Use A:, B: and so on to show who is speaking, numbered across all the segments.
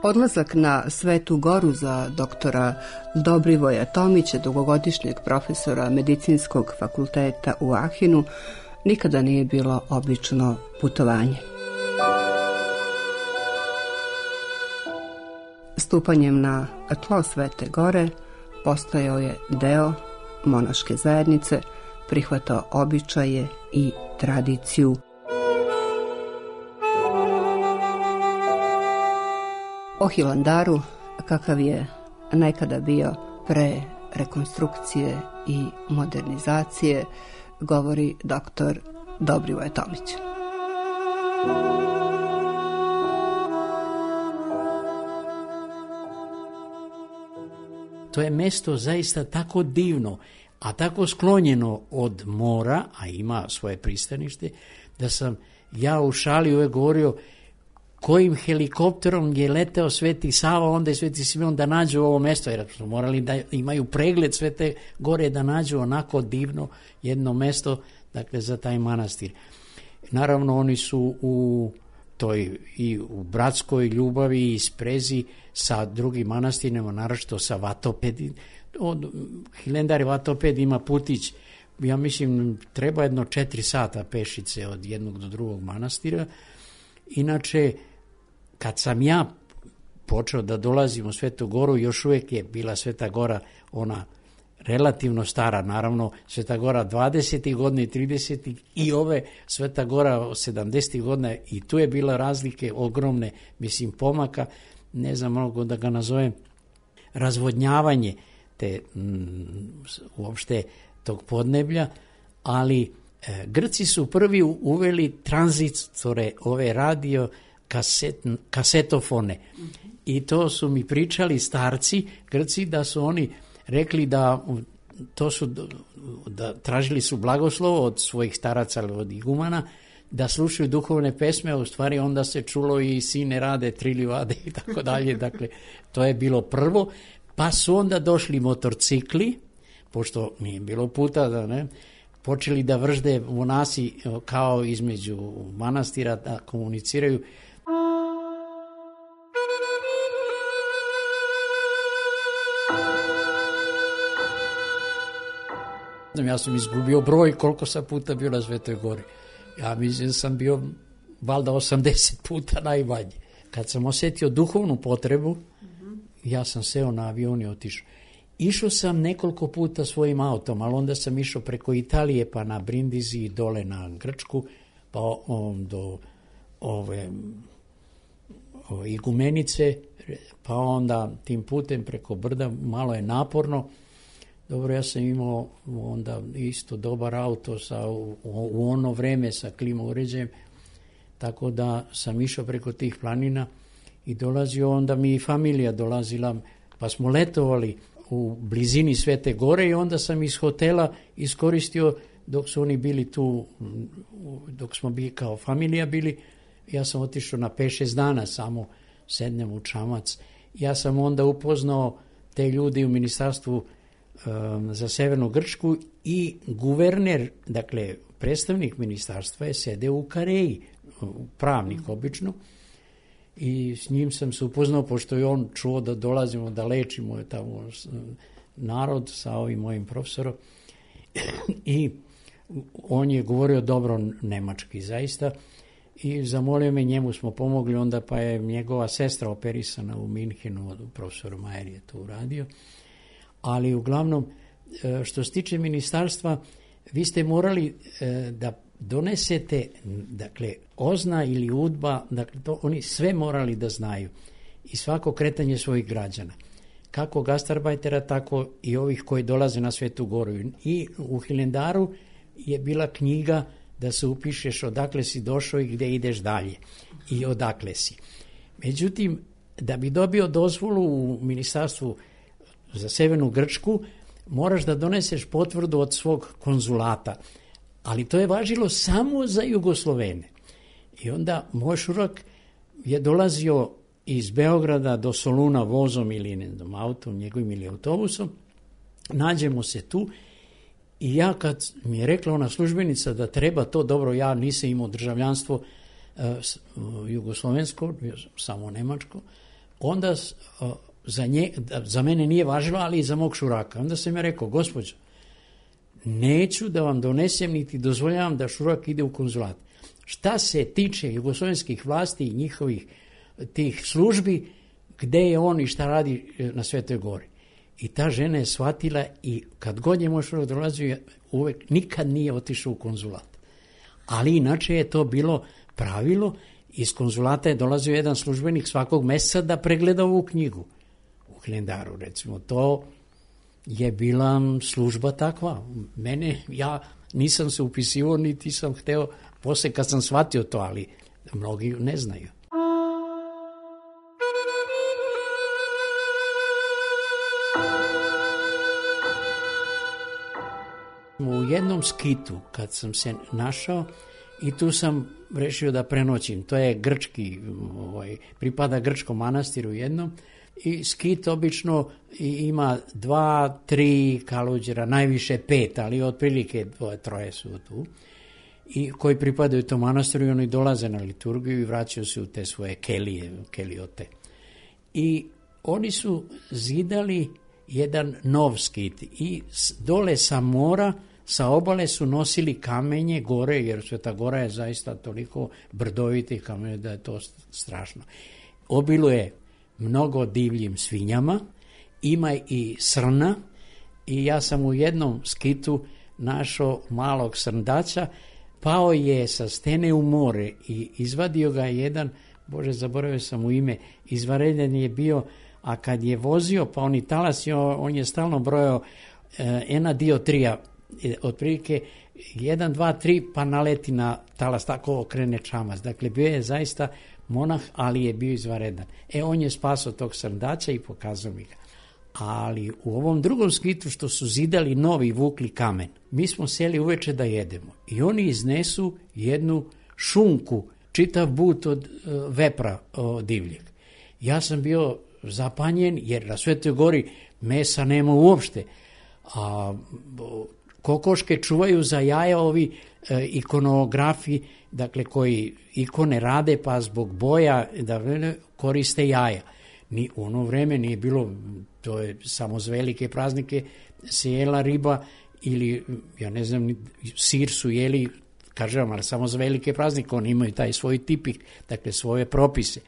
A: Odlazak na Svetu Goru za doktora Dobrivoja Tomića, dugogodišnjeg profesora Medicinskog fakulteta u Ahinu, nikada nije bilo obično putovanje. Stupanjem na tlo Svete Gore postajao je deo monaške zajednice, prihvatao običaje i tradiciju. O Hilandaru, kakav je nekada bio pre rekonstrukcije i modernizacije, govori doktor Dobrivoje Tomić.
B: To je mesto zaista tako divno, a tako sklonjeno od mora, a ima svoje pristanište, da sam ja u šali uvek govorio kojim helikopterom je leteo Sveti Sava, onda je Sveti Simeon da nađu ovo mesto, jer su morali da imaju pregled Svete Gore da nađu onako divno jedno mesto, dakle, za taj manastir. Naravno, oni su u toj i u bratskoj ljubavi i sprezi sa drugim manastirima, naročito sa Vatopedi. Hilandar i Vatoped ima putić, ja mislim, treba jedno 4 sata pešice od jednog do drugog manastira. Inače, kad sam ja počeo da dolazim u Svetu Goru, još uvijek je bila Sveta Gora ona relativno stara, naravno Sveta Gora 20. godina i 30. i ove Sveta Gora 70. godina, i tu je bila razlike ogromne, mislim, pomaka, ne znam mnogo da ga nazovem, razvodnjavanje te uopšte tog podneblja, ali Grci su prvi uveli tranzistore, ove radio kasetofone, i to su mi pričali starci Grci, da su oni rekli da tražili su blagoslov od svojih staraca, od igumana, da slušaju duhovne pesme, a u stvari onda se čulo i sine rade, tri livade i tako dalje. Dakle, to je bilo prvo, pa su onda došli motorcikli, pošto nije bilo puta da ne, počeli da vržde monasi kao između manastira, da komuniciraju. Ja sam izgubio broj koliko sam puta bio na Svetoj Gori. Ja mislim da sam bio valjda 80 puta najmanje. Kad sam osjetio duhovnu potrebu, ja sam seo na avion i otišao. Išao sam nekoliko puta svojim autom, ali onda sam išao preko Italije, pa na Brindisi, dole na Grčku, pa do ove Igumenice, pa onda tim putem preko brda. Malo je naporno. Dobro, ja sam imao onda isto dobar auto u ono vreme sa klima uređajem, tako da sam išao preko tih planina i dolazio, onda mi i familija dolazila, pa smo letovali u blizini Svete Gore i onda sam iz hotela iskoristio dok su oni bili tu, dok smo bili kao familija bili, ja sam otišao na 5-6 dana, samo sednem u čamac. Ja sam onda upoznao te ljudi u ministarstvu za Severnu Grčku i guverner, dakle predstavnik ministarstva je sedeo u Kareji, pravnik obično, i s njim sam se upoznao, pošto je on čuo da dolazimo da lečimo tamo narod sa ovim mojim profesorom i on je govorio dobro nemački zaista i zamolio me, njemu smo pomogli, onda pa je njegova sestra operisana u Minhenu, profesor Majer je to uradio. Ali uglavnom, što se tiče ministarstva, vi ste morali da donesete, dakle, OZNA ili UDBA, dakle, to oni sve morali da znaju i svako kretanje svojih građana. Kako gastarbajtera, tako i ovih koji dolaze na Svetu Goru. I u Hilandaru je bila knjiga da se upišeš odakle si došao i gde ideš dalje i odakle si. Međutim, da bi dobio dozvolu u ministarstvu za Severnu Grčku, moraš da doneseš potvrdu od svog konzulata, ali to je važilo samo za Jugoslovene. I onda moj šurak je dolazio iz Beograda do Soluna vozom ili ne znam, autom, njegovim ili autobusom, nađemo se tu i ja kad mi je rekla ona službenica da treba to, dobro, ja nisam imao državljanstvo jugoslovensko, samo nemačko, onda za mene nije važilo, ali i za mog šuraka. Onda sam ja rekao, gospođo, neću da vam donesem niti dozvoljavam da šurak ide u konzulat. Šta se tiče jugoslovenskih vlasti i njihovih tih službi, gde je on i šta radi na Svetoj Gori. I ta žena je shvatila i kad god je moj šurak dolazio, uvek nikad nije otišao u konzulat. Ali inače je to bilo pravilo, iz konzulata je dolazio jedan službenik svakog meseca da pregleda ovu knjigu u kalendaru, recimo. To je bila služba takva. Ja nisam se upisivao, niti sam hteo, posle kad sam shvatio to, ali mnogi ne znaju. U jednom skitu, kad sam se našao, i tu sam rešio da prenoćim. To je grčki, pripada grčkom manastiru jednom, i skit obično ima 2, 3 kaluđera, najviše 5, ali otprilike 2-3 su tu, i koji pripadaju tom manastiru i oni dolaze na liturgiju i vraćaju se u te svoje keliote. I oni su zidali jedan nov skit i dole sa mora, sa obale su nosili kamenje gore, jer Sveta Gora je zaista toliko brdovitih kamenja da je to strašno. Obiluje mnogo divljim svinjama, ima i srna, i ja sam u jednom skitu našao malog srndaća, pao je sa stene u more i izvadio ga jedan, Bože, zaboravio sam mu ime, izvanredan je bio, a kad je vozio, pa on i talasio, on je stalno brojao ena diotrija, otprilike 1, 2, 3, pa naleti na talas, tako okrene čamac. Dakle, bio je zaista monah, ali je bio izvanredan. On je spasao tog srndaća i pokazao mi ga. Ali u ovom drugom skitu što su zidali novi, vukli kamen, mi smo seli uveče da jedemo i oni iznesu jednu šunku, čitav but od vepra divljeg. Ja sam bio zapanjen, jer na Svetoj Gori mesa nema uopšte, a kokoške čuvaju za jaja ovi ikonografi, dakle koji ikone rade, pa zbog boja da koriste jaja. Ni u ono vreme nije bilo, to je samo za velike praznike se jela riba ili, ja ne znam, sir su jeli, kažem, ali samo za velike praznike, oni imaju taj svoj tipik, dakle svoje propise.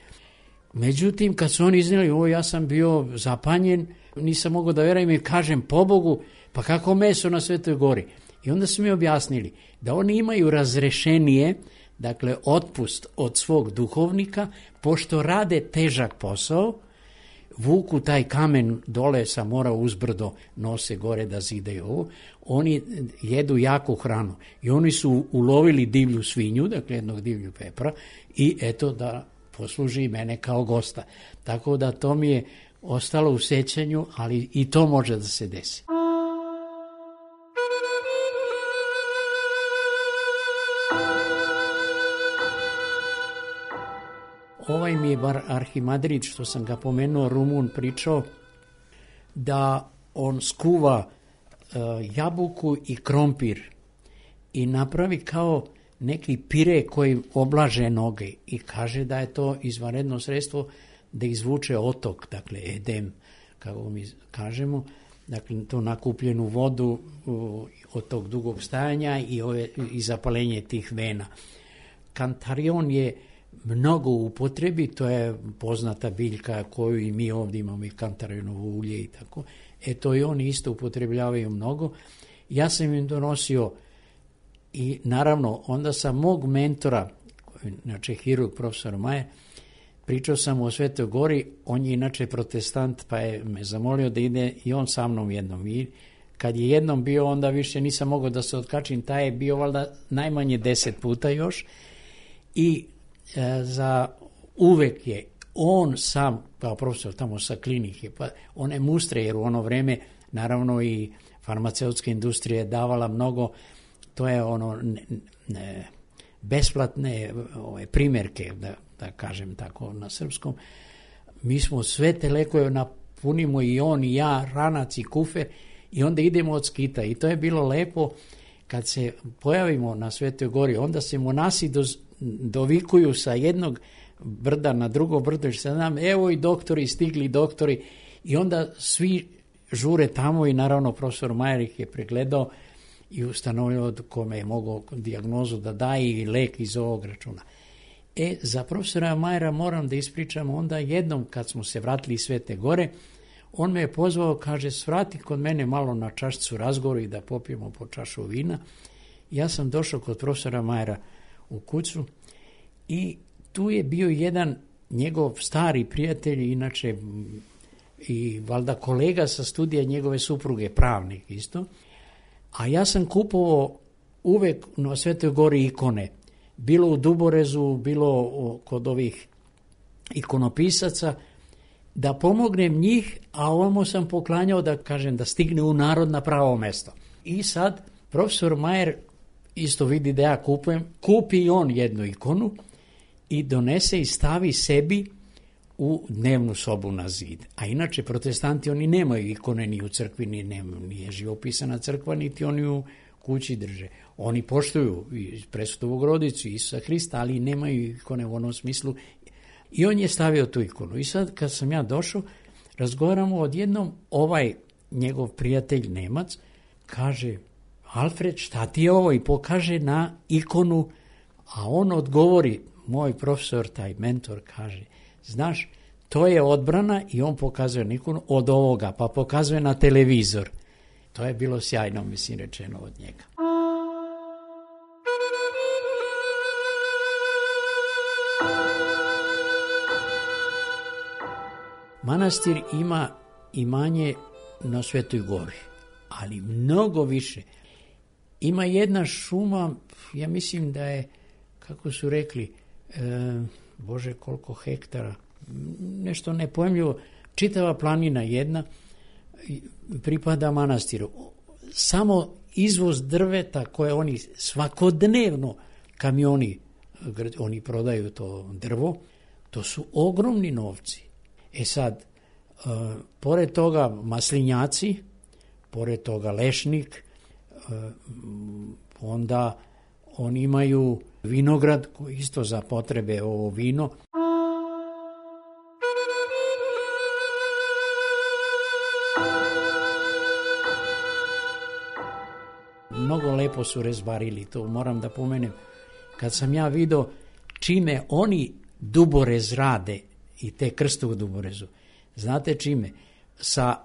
B: Međutim, kad su oni iznijeli ovo, ja sam bio zapanjen, nisam mogao da verujem i kažem, pobogu, pa kako meso na Svetoj Gori? I onda su mi objasnili da oni imaju razrešenije, dakle otpust od svog duhovnika, pošto rade težak posao, vuku taj kamen dole sa mora uzbrdo, nose gore da zidaju ovo, oni jedu jaku hranu i oni su ulovili divlju svinju, dakle jednog divlju pepra, i eto da posluži mene kao gosta. Tako da to mi je ostalo u sećanju, ali i to može da se desi. Ovaj mi je bar arhimadrid, što sam ga pomenuo, Rumun, pričao da on skuva jabuku i krompir i napravi kao neki pire koji oblaže noge i kaže da je to izvanredno sredstvo da izvuče otok, dakle edem, kako mi kažemo, dakle to nakupljenu vodu od tog dugog stajanja i zapalenje tih vena. Kantarion je mnogo u upotrebi, to je poznata biljka koju i mi ovdje imamo, i kantarionovo ulje i tako. To i oni isto upotrebljavaju mnogo. Ja sam im donosio i naravno onda sam mog mentora, inače hirurg profesor Majer, pričao sam o Svetoj Gori, on je inače protestant, pa je me zamolio da ide i on sa mnom jednom. I kad je jednom bio, onda više nisam mogao da se otkačim, taj je bio valjda najmanje 10 puta još. I za uvek je on sam, kao profesor tamo sa klinike, pa one mustre, jer u ono vreme naravno i farmaceutska industrija je davala mnogo, to je ono besplatne primjerke, da kažem tako na srpskom. Mi smo sve te lekove napunimo, i on i ja, ranac i kufer, i onda idemo od skita. I to je bilo lepo kad se pojavimo na Svetoj Gori, onda se monasi dovikuju sa jednog brda na drugo brdo, što znam, evo i doktori, stigli doktori, i onda svi žure tamo i naravno profesor Majer ih je pregledao i ustanovio kome je mogao dijagnozu da daje i lek iz ovog računa. Za profesora Majera moram da ispričam, onda jednom kad smo se vratili iz Svete Gore, on me je pozvao, kaže, svrati kod mene malo na čašicu razgovoru i da popijemo po čašu vina. Ja sam došao kod profesora Majera u kuću i tu je bio jedan njegov stari prijatelj, inače i valjda kolega sa studija njegove supruge, pravnik isto, a ja sam kupovao uvek na Svetoj Gori ikone, bilo u Duborezu, bilo kod ovih ikonopisaca, da pomognem njih, a ovamo sam poklanjao da kažem da stigne u narod na pravo mesto. I sad profesor Majer isto vidi da ja kupujem, kupi i on jednu ikonu i donese i stavi sebi u dnevnu sobu na zid. A inače protestanti oni nemaju ikone ni u crkvi, nije živopisana crkva, niti oni u kući drže. Oni poštuju i Presvetu Bogorodicu i Isusa Hrista, ali nemaju ikone u onom smislu. I on je stavio tu ikonu. I sad kad sam ja došao, razgovaramo odjednom, ovaj njegov prijatelj Nemac kaže, Alfred, šta ti je ovo? I pokaže na ikonu, a on odgovori, moj profesor, taj mentor, kaže, znaš, to je odbrana, i on pokazuje na ikonu od ovoga, pa pokazuje na televizor. To je bilo sjajno, mislim, rečeno od njega. Manastir ima imanje na Svetoj Gori, ali mnogo više. Ima jedna šuma, ja mislim da je, kako su rekli, Bože, koliko hektara, nešto nepojmljivo, čitava planina jedna pripada manastiru. Samo izvoz drveta koje oni svakodnevno kamioni, oni prodaju to drvo, to su ogromni novci. Sad, pored toga maslinjaci, pored toga lešnik, onda oni imaju vinograd koji isto za potrebe ovo vino. Mnogo lepo su rezbarili, to moram da pomenem. Kad sam ja vidio čime oni Duborez rade, i te krste u Duborezu, znate čime? Sa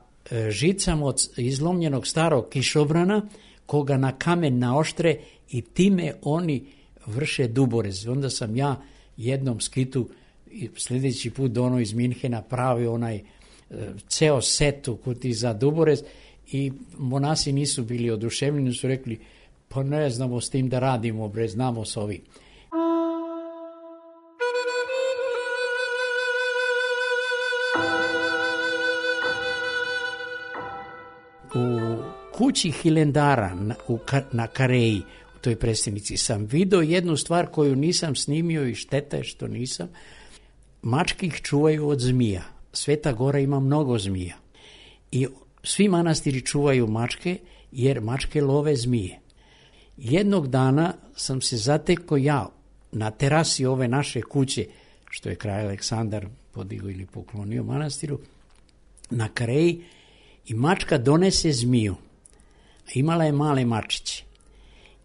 B: žicama od izlomljenog starog kišobrana, koga na kamen naoštre, i time oni vrše Duborez. Onda sam ja jednom skitu, sljedeći put do ono iz Minhena, pravio onaj ceo set u kuti za Duborez, i monasi nisu bili oduševljeni, su rekli, pa ne znamo s tim da radimo, bre, znamo s ovim. U kući Hilendara na Kareji, u toj prestonici, sam vidio jednu stvar koju nisam snimio i šteta je što nisam. Mačke ih čuvaju od zmija. Sveta Gora ima mnogo zmija. I svi manastiri čuvaju mačke, jer mačke love zmije. Jednog dana sam se zatekao ja na terasi ove naše kuće, što je kralj Aleksandar podigao ili poklonio manastiru, na Kareji, i mačka donese zmiju. Imala je male mačiće.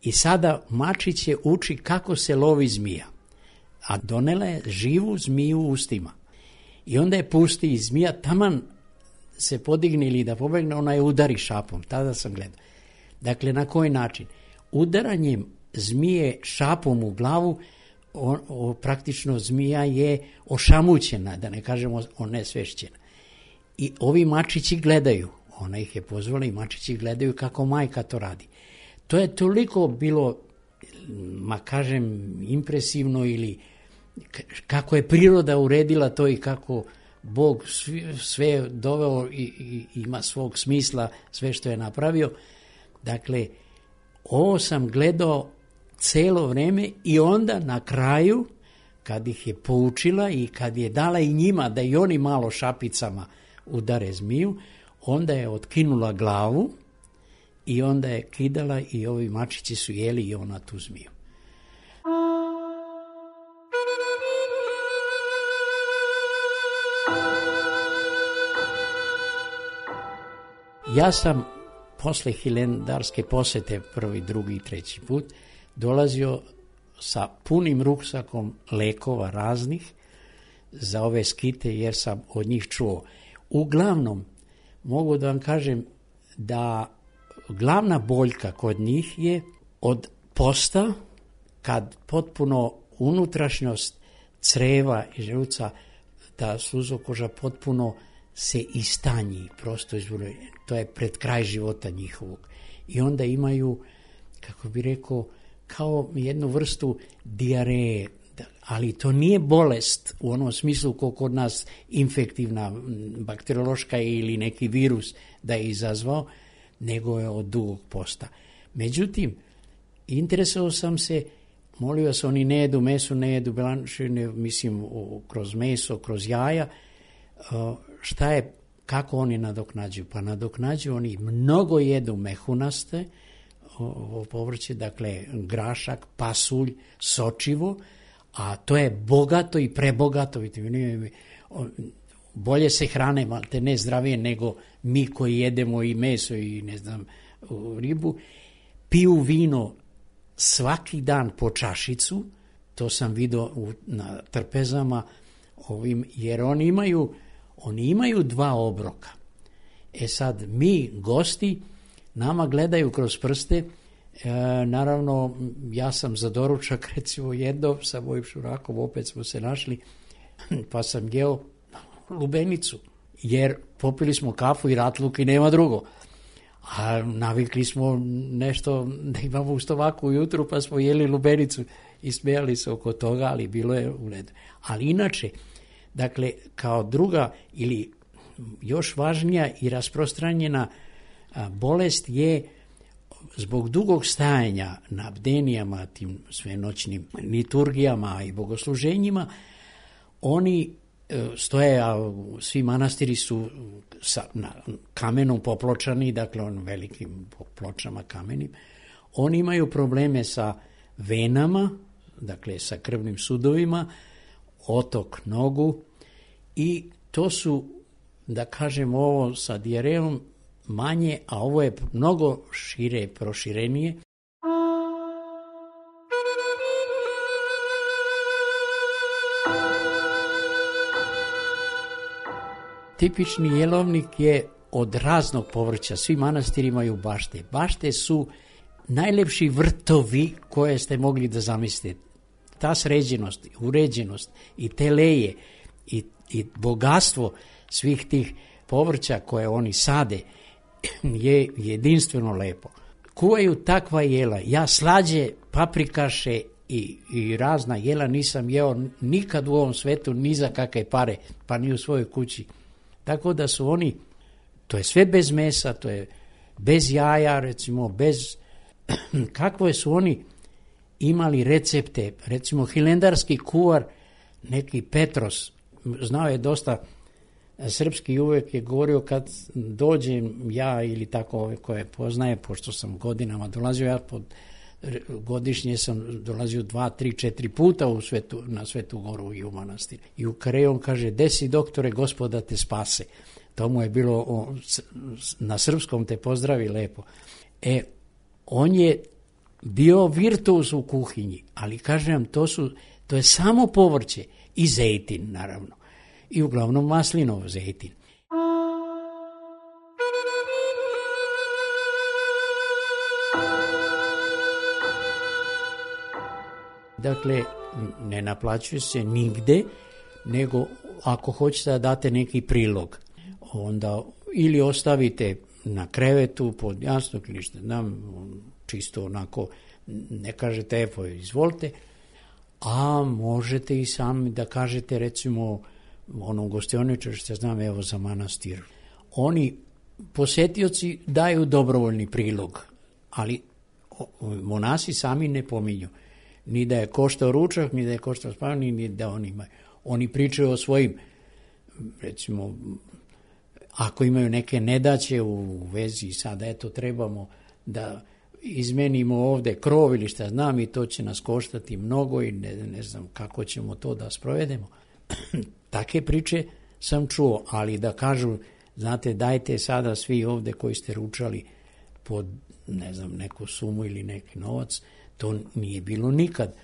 B: I sada mačiće uči kako se lovi zmija. A donela je živu zmiju u ustima. I onda je pusti i zmija taman se podigne ili da pobegne, ona je udari šapom. Tada sam gledao. Dakle, na koji način? Udaranjem zmije šapom u glavu, praktično zmija je ošamućena, da ne kažemo onesvešćena. I ovi mačići gledaju, ona ih je pozvala i mačići gledaju kako majka to radi. To je toliko bilo, ma kažem, impresivno, ili kako je priroda uredila to i kako Bog sve doveo i ima svog smisla, sve što je napravio. Dakle, ovo sam gledao celo vreme, i onda na kraju, kad ih je poučila i kad je dala i njima da i oni malo šapicama udare zmiju, onda je otkinula glavu i onda je kidala, i ovi mačići su jeli i ona tu zmiju. Ja sam posle hilendarske posete, prvi, drugi i treći put, dolazio sa punim ruksakom lekova raznih za ove skite, jer sam od njih čuo. Uglavnom, mogu da vam kažem da glavna boljka kod njih je od posta, kad potpuno unutrašnjost creva i želuca, da suzokoža potpuno se istanji, prosto izvore, to je pred kraj života njihovog. I onda imaju, kako bi rekao, kao jednu vrstu dijareje, ali to nije bolest u onom smislu kao kod nas infektivna, bakteriološka ili neki virus da je izazvao, nego je od dugog posta. Međutim, interesovao sam se, molio se, oni ne jedu meso, ne jedu belančine, mislim, kroz meso, kroz jaja, šta je, kako oni nadoknađuju? Pa nadoknađuju, oni mnogo jedu mehunaste, povrće, dakle grašak, pasulj, sočivo, a to je bogato i prebogato vitaminima. Bolje se hrane, te ne zdravije nego mi koji jedemo i meso i ne znam ribu. Piju vino svaki dan po čašicu, to sam vidio na trpezama ovim, jer oni imaju 2 obroka. E sad, mi, gosti, nama gledaju kroz prste, naravno, ja sam za doručak, recimo jednom sa mojim šurakom, opet smo se našli, pa sam jeo lubenicu, jer popili smo kafu i ratluk i nema drugo. A navikli smo nešto da imamo u stomaku ujutru, pa smo jeli lubenicu i smijali se oko toga, ali bilo je u redu. Ali inače, dakle, kao druga ili još važnija i rasprostranjena bolest je zbog dugog stajanja na bdenijama, tim svenoćnim liturgijama i bogosluženjima, oni stoje, a svi manastiri su na kamenom popločani, dakle on velikim pločama kamenim. Oni imaju probleme sa venama, dakle sa krvnim sudovima, otok nogu, i to su, da kažem, ovo sa dijarejom manje, a ovo je mnogo šire, proširenije. Tipični jelovnik je od raznog povrća, svi manastiri imaju bašte. Bašte su najlepši vrtovi koje ste mogli da zamislite. Ta sređenost, uređenost i te leje i bogatstvo svih tih povrća koje oni sade je jedinstveno lepo. Kuvaju takva jela. Ja slađe, paprikaše i razna jela nisam jeo nikad u ovom svetu, ni za kakve pare, pa ni u svojoj kući. Tako da su oni, to je sve bez mesa, to je bez jaja, recimo, bez, kakve su oni imali recepte, recimo hilendarski kuvar, neki Petros, znao je dosta srpski, uvek je govorio kad dođem ja ili tako ove koje poznaje, pošto sam godinama dolazio, ja godišnje sam dolazio 2, 3, 4 puta na Svetu Goru i u manastir. I u Kareju on kaže, desi doktore, Gospoda te spase. To mu je bilo, na srpskom te pozdravi lepo. On je bio virtuoz u kuhinji, ali kažem, to je samo povrće i zejtin, naravno. I uglavnom maslinov zejtin. Dakle, ne naplaćuje se nigde, nego ako hoćete da date neki prilog, onda ili ostavite na krevetu pod jasnog ili što znam, čisto onako, ne kažete evo, izvolite, a možete i sami da kažete, recimo, onom gostioničaru što znam, evo za manastir. Oni, posetioci, daju dobrovoljni prilog, ali monasi sami ne pominju. Ni da je koštao ručak, ni da je koštao spavanje, ni da oni imaju. Oni pričaju o svojim, recimo, ako imaju neke nedaće u vezi sada, eto, trebamo da izmenimo ovde krov ili šta znam i to će nas koštati mnogo i ne znam kako ćemo to da sprovedemo. Take priče sam čuo, ali da kažu znate, dajte sada svi ovde koji ste ručali pod, ne znam, neku sumu ili neki novac, to nije bilo nikad.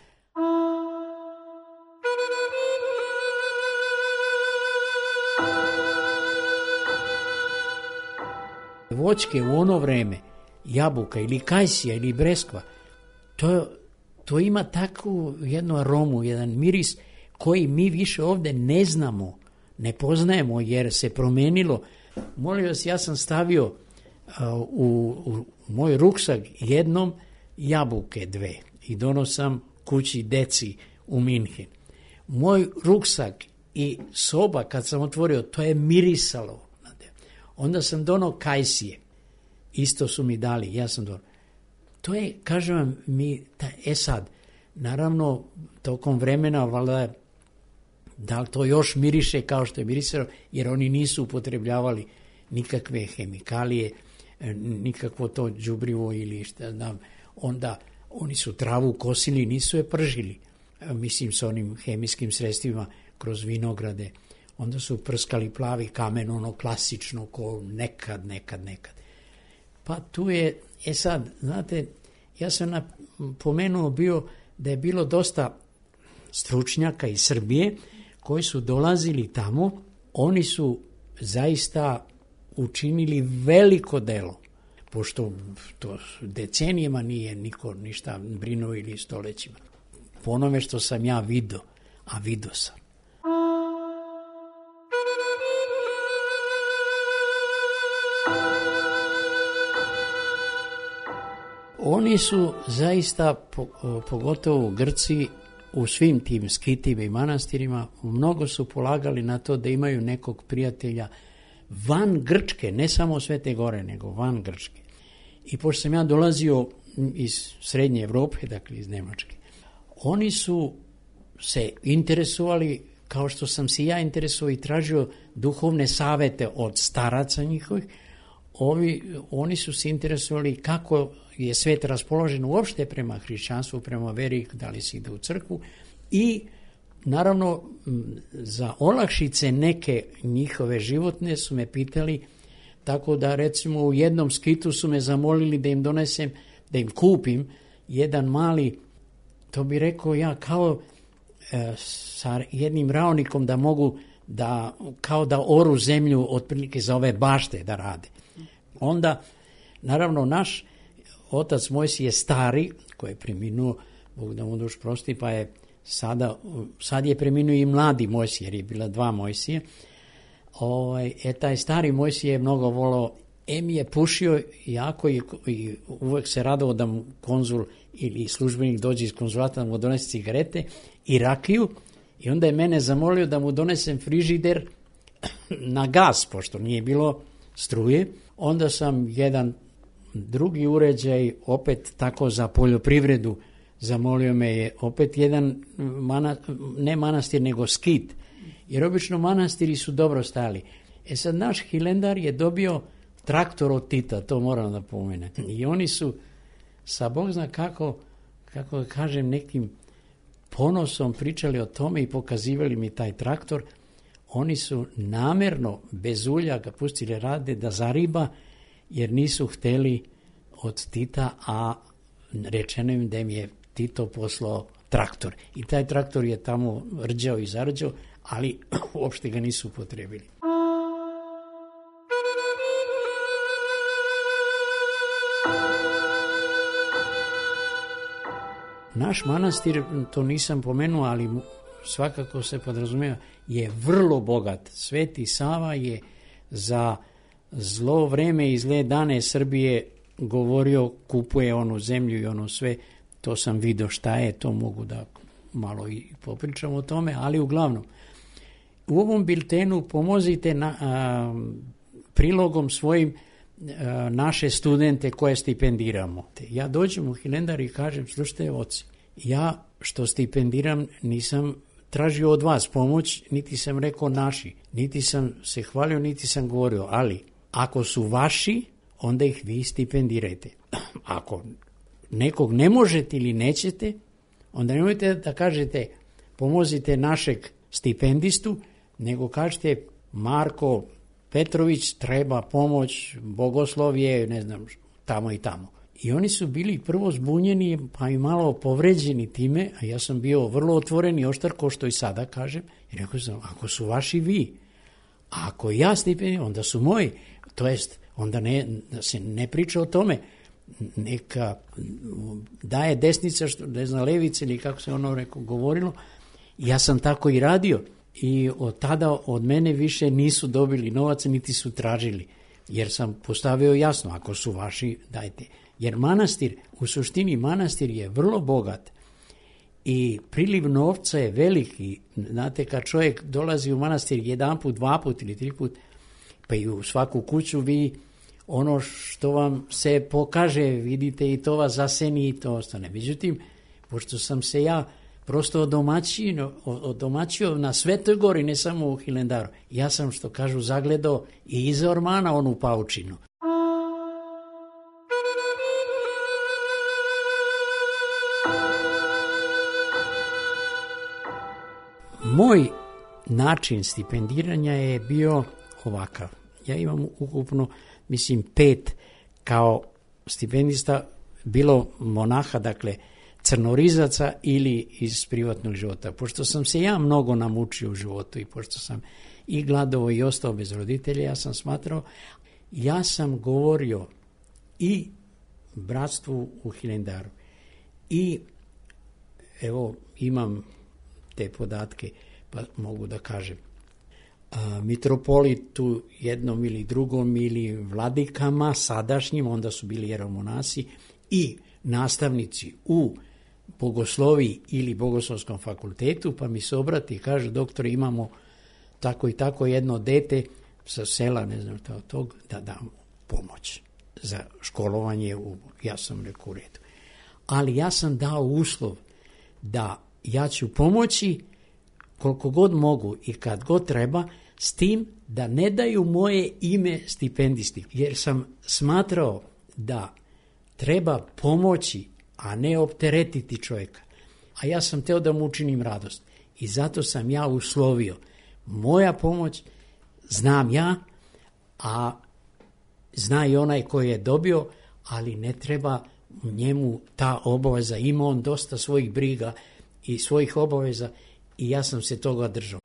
B: Voćke u ono vreme, jabuka ili kajsija ili breskva, to ima takvu jednu aromu, jedan miris koji mi više ovde ne znamo, ne poznajemo jer se promenilo. Molim vas, ja sam stavio u moj ruksak jednom jabuke 2 i donosam kući deci u Minhen. Moj ruksak i soba kad sam otvorio, to je mirisalo. Onda sam donao kajsije, isto su mi dali, ja sam donao. To je, kažem vam, sad, naravno, tokom vremena, valjda, da li to još miriše kao što je mirisalo, jer oni nisu upotrebljavali nikakve hemikalije, nikakvo to đubrivo ili šta znam. Onda oni su travu kosili, nisu je pržili, mislim sa onim hemijskim sredstvima kroz vinograde. Onda su prskali plavi kamen, ono klasično, ko nekad. Pa tu je, sad, znate, ja sam pomenuo bio da je bilo dosta stručnjaka iz Srbije koji su dolazili tamo, oni su zaista učinili veliko delo, pošto to decenijama nije niko ništa brinuo ili stolećima. Po onome što sam ja vidio, a vidio sam. Oni su zaista, pogotovo Grci, u svim tim skitima i manastirima, mnogo su polagali na to da imaju nekog prijatelja van Grčke, ne samo Svete Gore, nego van Grčke. I pošto sam ja dolazio iz Srednje Evrope, dakle iz Nemačke, oni su se interesovali, kao što sam se ja interesovao i tražio duhovne savete od staraca njihovih, oni su se interesovali kako je svet raspoložen uopšte prema hrišćanstvu, prema veri, da li se ide u crkvu i naravno za olakšice neke njihove životne su me pitali, tako da recimo u jednom skitu su me zamolili da im donesem, da im kupim jedan mali, to bi rekao ja, kao sa jednim raonikom da mogu da, kao da oru zemlju otprilike za ove bašte da rade. Onda, naravno, naš otac Mojsije stari, koji je preminuo, Bog da mu duš prosti, pa je sad je preminuo i mladi Mojsije, jer je bila 2 Mojsije. Taj stari Mojsije je mnogo volao, mi je pušio jako i uvek se radovao da mu konzul ili službenik dođe iz konzulata da mu donese cigarete i rakiju i onda je mene zamolio da mu donesem frižider na gas, pošto nije bilo struje. Onda sam jedan drugi uređaj, opet tako za poljoprivredu, zamolio me je opet jedan, ne manastir, nego skit, jer obično manastiri su dobro stali. Sad naš Hilendar je dobio traktor od Tita, to moram da pomenem. I oni su, sa Bog zna kako kažem, nekim ponosom pričali o tome i pokazivali mi taj traktor. Oni su namerno bez ulja ga pustili rade da zariba, jer nisu hteli od Tita, a rečeno im da im je Tito poslao traktor. I taj traktor je tamo rđao i zarđao, ali uopšte ga nisu upotrebili. Naš manastir, to nisam pomenuo, ali svakako se podrazumijeva, je vrlo bogat. Sveti Sava je za zlo vreme i zle dane Srbije govorio, kupuje onu zemlju i ono sve, to sam vidio šta je, to mogu da malo i popričam o tome, ali uglavnom, u ovom biltenu pomozite prilogom svojim naše studente koje stipendiramo. Ja dođem u Hilendar i kažem, slušajte oci, ja što stipendiram nisam tražio od vas pomoć, niti sam rekao naši, niti sam se hvalio, niti sam govorio, ali ako su vaši, onda ih vi stipendirajte. Ako nekog ne možete ili nećete, onda nemojte da kažete pomozite našeg stipendistu, nego kažete Marko Petrović, treba pomoć, bogoslovje, ne znam, tamo i tamo. I oni su bili prvo zbunjeni, pa i malo povređeni time, a ja sam bio vrlo otvoren i oštar, ko što i sada kažem, i rekao sam, ako su vaši vi, a ako ja stipendiram, onda su moji, to jest, onda se ne priča o tome, neka daje desnica, što ne zna levice ili kako se ono govorilo. Ja sam tako i radio i od tada od mene više nisu dobili novac niti su tražili, jer sam postavio jasno, ako su vaši, dajte. Jer manastir, u suštini manastir je vrlo bogat i priliv novca je veliki. Znate, kad čovjek dolazi u manastir jedan put, dva put ili tri put, pa i u svaku kuću vi ono što vam se pokaže, vidite i to vas zaseni i to ostane. Međutim, pošto sam se ja prosto odomaćio na Svetoj gori, ne samo u Hilandaru, ja sam, što kažu, zagledao i iza ormana onu paučinu. Moj način stipendiranja je bio ovakav. Ja imam ukupno, 5 kao stipendista, bilo monaha, dakle crnorizaca ili iz privatnog života. Pošto sam se ja mnogo namučio u životu i pošto sam i gladovao i ostao bez roditelja, ja sam smatrao, ja sam govorio i bratstvu u Hilandaru i evo imam te podatke pa mogu da kažem. Mitropolitu jednom ili drugom ili vladikama sadašnjim, onda su bili jeromonasi i nastavnici u bogosloviji ili bogoslovskom fakultetu, pa mi se obrati i kaže, doktore, imamo tako i tako jedno dete sa sela, ne znam tog, da dam pomoć za školovanje. Ja sam rekao u redu. Ali ja sam dao uslov da ja ću pomoći koliko god mogu i kad god treba, s tim da ne daju moje ime stipendisti, jer sam smatrao da treba pomoći, a ne opteretiti čovjeka. A ja sam teo da mu učinim radost. I zato sam ja uslovio, moja pomoć znam ja, a zna i onaj koji je dobio, ali ne treba njemu ta obaveza. Ima on dosta svojih briga i svojih obaveza i ja sam se toga držao.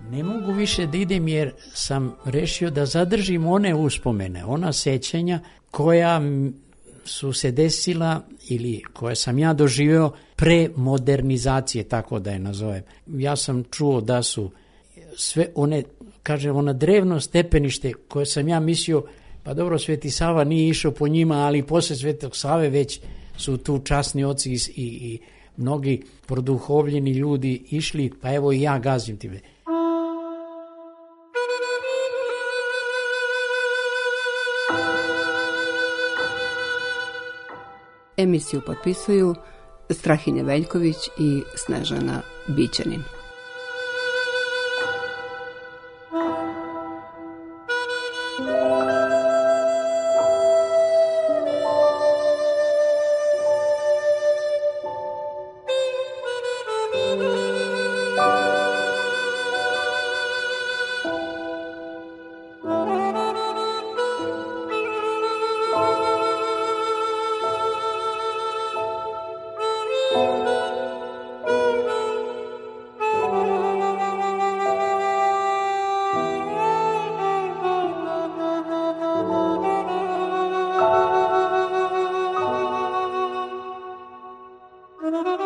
B: Ne mogu više da idem jer sam rešio da zadržim one uspomene, ona sećanja koja su se desila ili koje sam ja doživio pre modernizacije, tako da je nazovem. Ja sam čuo da su sve one, kažem, ona drevno stepenište koje sam ja mislio, pa dobro, Sveti Sava nije išao po njima, ali posle Svetog Save već su tu časni oci i mnogi produhovljeni ljudi išli, pa evo i ja gazim time.
A: Emisiju potpisuju Strahinja Veljković i Snežana Bićanin.
C: Thank you.